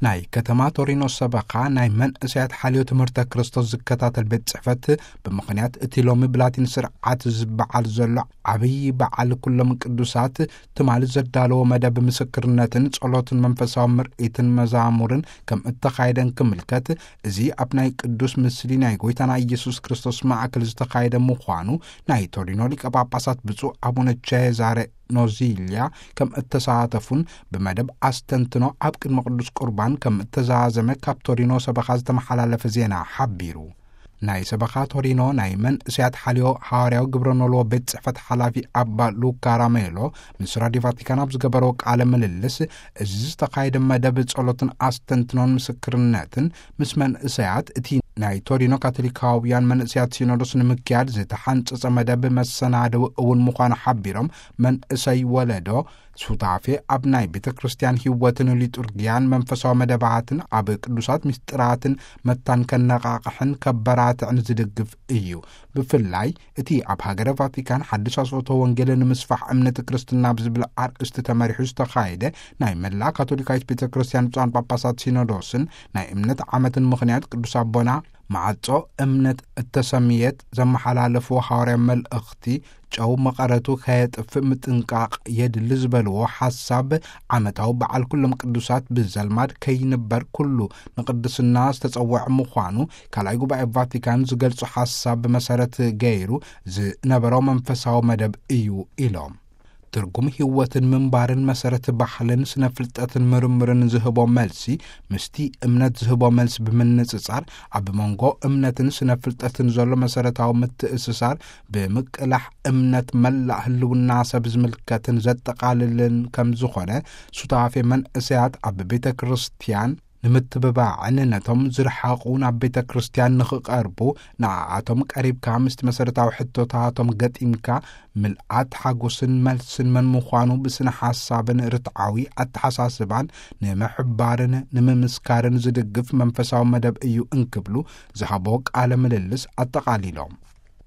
ናይ ከተማ ቶሪኖ ሰበኻ ናይ መንእሰያት ሓልዮ ትምህርተ ክርስቶስ ዝከታተል ቤት ጽሕፈት፣ ብምኽንያት እቲ ሎሚ ብላቲን ስርዓት ዝበዓል ዘሎ ዓብዪ በዓል ኩሎም ቅዱሳት፣ ትማሊ ዘዳለዎ መደብ ምስክርነትን ጸሎትን መንፈሳዊ ምርኢትን መዛሙርን ከም እተኻየደን ክምልከት፣ እዚ ኣብ ናይ ቅዱስ ምስሊ ናይ ጎይታና ኢየሱስ ክርስቶስ ማእከል ዝተኻየደ ምዃኑ ናይ ቶሪኖ ሊቀ ጳጳሳት ብፁዕ ኣቡነ ቼዛሬ ኖዚልያ ከም እተሳተፉን ብመደብ ኣስተንትኖ ኣብ ቅድሚ ቅዱስ ቁርባን ከም እተዛዘመ ካብ ቶሪኖ ሰበኻ ዝተመሓላለፈ ዜና ሓቢሩ። ናይ ሰበኻ ቶሪኖ ናይ መንእሰያት ሓልዮ ሃዋርያዊ ግብረ ኖልዎ ቤት ጽሕፈት ሓላፊ ኣባ ሉካ ራሜሎ ምስ ራድዮ ቫቲካን ኣብ ዝገበረዎ ቃለ ምልልስ፣ እዚ ዝተኻየደ መደብ ጸሎትን ኣስተንትኖን ምስክርነትን ምስ መንእሰያት፣ እቲ ናይ ቶሪኖ ካቶሊካውያን መንእሰያት ሲኖዶስ ንምክያድ ዝተሓንጸጸ መደብ መሰናድው እውን ምዃኑ ሓቢሮም፣ መንእሰይ ወለዶ ሱታፌ ኣብ ናይ ቤተ ክርስቲያን ህይወትን ሊጡርጊያን መንፈሳዊ መደባትን ኣብ ቅዱሳት ምስጢራትን መታን ከነቓቕሕን ከበራትዕን ዝድግፍ እዩ። ብፍላይ እቲ ኣብ ሃገረ ቫቲካን ሓድሽ ኣስፈቶ ወንጌል ንምስፋሕ እምነት ክርስትና ብዝብል ኣርእስቲ ተመሪሑ ዝተኻየደ ናይ መላእ ካቶሊካዊት ቤተ ክርስቲያን ብፁዓን ጳጳሳት ሲኖዶስን ናይ እምነት ዓመትን ምኽንያት ቅዱስ ኣቦና ማዕጾ እምነት እተሰምየት ዘመሓላለፍዎ ሃዋርያ መልእኽቲ፣ ጨው መቐረቱ ከየጥፍእ ምጥንቃቕ የድሊ ዝበልዎ ሓሳብ፣ ዓመታዊ በዓል ኩሎም ቅዱሳት ብዘልማድ ከይንበር ኩሉ ንቅድስና ዝተጸውዐ ምዃኑ ካልኣይ ጉባኤ ቫቲካን ዝገልጹ ሓሳብ መሰረት ገይሩ ዝነበሮ መንፈሳዊ መደብ እዩ ኢሎም። ትርጉም ህይወትን ምንባርን መሰረት ባህልን ስነ ፍልጠትን ምርምርን ዝህቦ መልሲ ምስቲ እምነት ዝህቦ መልሲ ብምንጽጻር፣ ኣብ መንጎ እምነትን ስነ ፍልጠትን ዘሎ መሰረታዊ ምትእስሳር ብምቅላሕ፣ እምነት መላእ ህልውና ሰብ ዝምልከትን ዘጠቓልልን ከም ዝኾነ፣ ሱታፌ መንእሰያት ኣብ ቤተ ክርስቲያን ንምትብባዕን ነቶም ዝረሓቑ ናብ ቤተ ክርስቲያን ንኽቐርቡ፣ ንኣኣቶም ቀሪብካ ምስቲ መሰረታዊ ሕቶታቶም ገጢምካ፣ ምልኣት ሓጎስን መልስን መን ምዃኑ ብስነ ሓሳብን ርትዓዊ ኣተሓሳስባን ንምሕባርን ንምምስካርን ዝድግፍ መንፈሳዊ መደብ እዩ እንክብሉ ዝሃቦ ቃለ ምልልስ ኣጠቓሊሎም።